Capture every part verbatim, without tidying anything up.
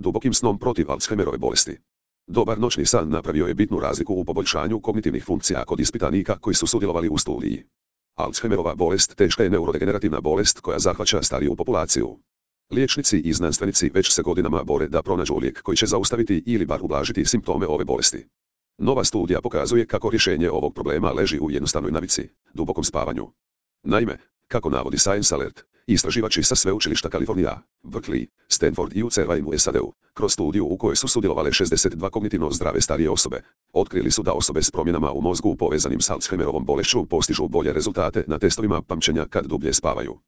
dubokim snom protiv Alzheimerove bolesti. Dobar noćni san napravio je bitnu razliku u poboljšanju kognitivnih funkcija kod ispitanika koji su sudjelovali u studiji. Alzheimerova bolest teška je neurodegenerativna bolest koja zahvaća stariju populaciju. Liječnici i znanstvenici već se godinama bore da pronađu lijek koji će zaustaviti ili bar ublažiti simptome ove bolesti. Nova studija pokazuje kako rješenje ovog problema leži u jednostavnoj navici, dubokom spavanju. Naime, kako navodi Science Alert, istraživači sa sveučilišta Kalifornija, Berkeley, Stanford i U C R u S A D-u, kroz studiju u kojoj su sudjelovale šezdeset dva kognitivno zdrave starije osobe, otkrili su da osobe s promjenama u mozgu povezanim s Alzheimerovom bolešću postižu bolje rezultate na testovima pamćenja kad dublje spavaju.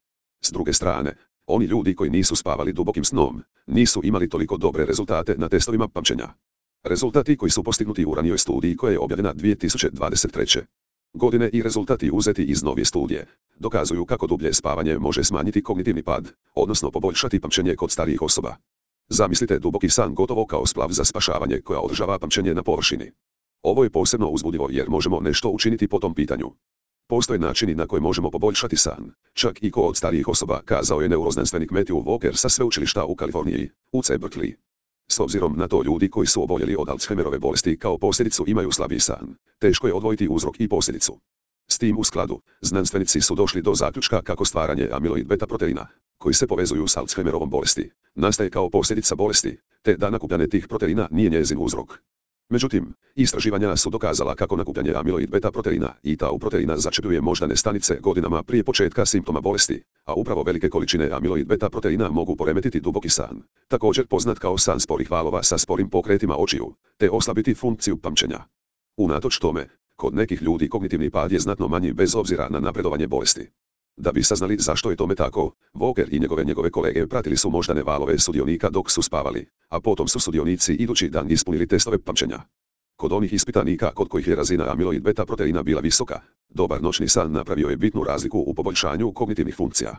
S druge strane, oni ljudi koji nisu spavali dubokim snom, nisu imali toliko dobre rezultate na testovima pamćenja. Rezultati koji su postignuti u ranijoj studiji koja je objavljena dvije tisuće dvadeset treće godine i rezultati uzeti iz novije studije dokazuju kako dublje spavanje može smanjiti kognitivni pad, odnosno poboljšati pamćenje kod starijih osoba. Zamislite duboki san gotovo kao splav za spašavanje koja održava pamćenje na površini. Ovo je posebno uzbudljivo jer možemo nešto učiniti po tom pitanju. Postoje načini na koje možemo poboljšati san, čak i kod starijih osoba, kazao je neuroznanstvenik Matthew Walker sa sveučilišta u Kaliforniji, U C Berkeley. S obzirom na to ljudi koji su oboljeli od Alzheimerove bolesti kao posljedicu imaju slabiji san, teško je odvojiti uzrok i posljedicu. S tim u skladu, znanstvenici su došli do zaključka kako stvaranje amiloid beta proteina, koji se povezuju s Alzheimerovom bolesti, nastaje kao posljedica bolesti, te da nakupljanje tih proteina nije njezin uzrok. Međutim, istraživanja su dokazala kako nakupljanje amiloid beta proteina i tau proteina začepljuje moždane stanice godinama prije početka simptoma bolesti, a upravo velike količine amiloid beta proteina mogu poremetiti duboki san, također poznat kao san sporih valova sa sporim pokretima očiju, te oslabiti funkciju pamćenja. Unatoč tome, kod nekih ljudi kognitivni pad je znatno manji bez obzira na napredovanje bolesti. Da bi saznali zašto je tome tako, Walker i njegove njegove kolege pratili su moždane valove sudionika dok su spavali, a potom su sudionici idući dan ispunili testove pamćenja. Kod onih ispitanika kod kojih je razina amiloid beta proteina bila visoka, dobar noćni san napravio je bitnu razliku u poboljšanju kognitivnih funkcija.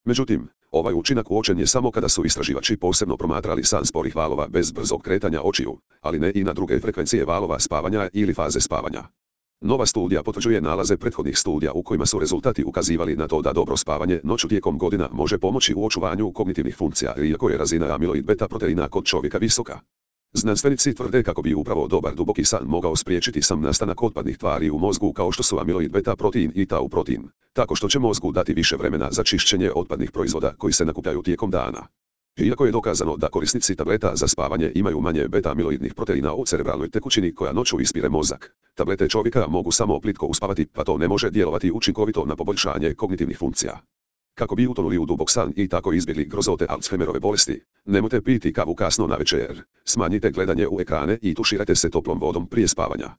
Međutim, ovaj učinak uočen je samo kada su istraživači posebno promatrali san sporih valova bez brzog kretanja očiju, ali ne i na druge frekvencije valova spavanja ili faze spavanja. Nova studija potvrđuje nalaze prethodnih studija u kojima su rezultati ukazivali na to da dobro spavanje noću tijekom godina može pomoći u očuvanju kognitivnih funkcija iako je razina amiloid beta proteina kod čovjeka visoka. Znanstvenici tvrde kako bi upravo dobar duboki san mogao spriječiti sam nastanak otpadnih tvari u mozgu kao što su amiloid beta protein i tau protein, tako što će mozgu dati više vremena za čišćenje otpadnih proizvoda koji se nakupljaju tijekom dana. Iako je dokazano da korisnici tableta za spavanje imaju manje beta-amiloidnih proteina u cerebralnoj tekućini koja noću ispire mozak, tablete čovjeka mogu samo plitko uspavati pa to ne može djelovati učinkovito na poboljšanje kognitivnih funkcija. Kako bi utonuli u dubok san i tako izbjegli grozote Alzheimerove bolesti, nemojte piti kavu kasno navečer, smanjite gledanje u ekrane i tuširajte se toplom vodom prije spavanja.